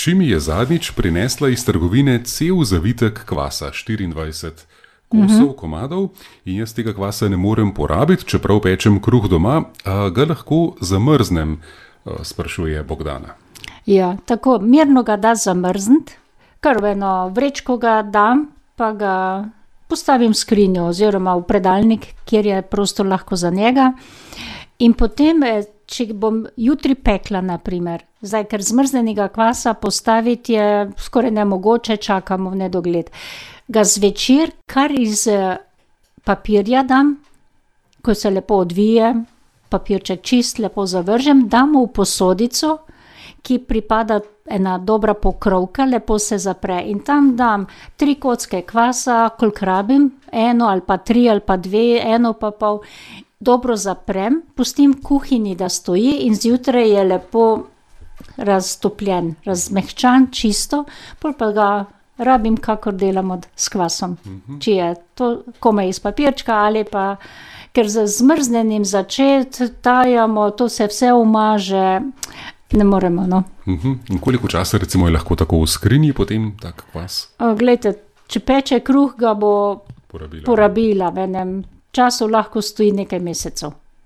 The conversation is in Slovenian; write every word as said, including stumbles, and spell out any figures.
Hči mi je zadnjič prinesla iz trgovine cel zavitek kvasa, štiriindvajset kosov, uh-huh. komadov, in jaz tega kvasa ne morem porabiti, čeprav pečem kruh doma, a ga lahko zamrznem, sprašuje Bogdana. Ja, tako mirno ga da zamrzniti, kar v eno vrečko ga dam, pa ga postavim v skrinjo oziroma v predalnik, kjer je prostor lahko za njega. In potem, če bom jutri pekla, na primer, zdaj, ker zmrznenega kvasa postaviti je skoraj nemogoče, čakamo v nedogled. Ga zvečer kar iz papirja dam, ko se lepo odvije, papirček čist, lepo zavržem, dam v posodico, ki pripada ena dobra pokrovka, lepo se zapre in tam dam tri kocke kvasa, koliko rabim, eno ali pa tri ali pa dve, eno pa pol, dobro zaprem, pustim v kuhinji, da stoji in zjutraj je lepo raztopljen, razmehčan, čisto, pol pa ga rabim, kakor delamo s kvasom. Uh-huh. Če je to komaj iz papirčka ali pa, ker z zmrznenim začeti tajamo, to se vse umaže, ne moremo, no. Uh-huh. In koliko časa recimo je lahko tako v skrinji potem tak kvas? O, glejte, če peče kruh, ga bo porabila, porabila v enem času lahko stoji nekaj mesecev.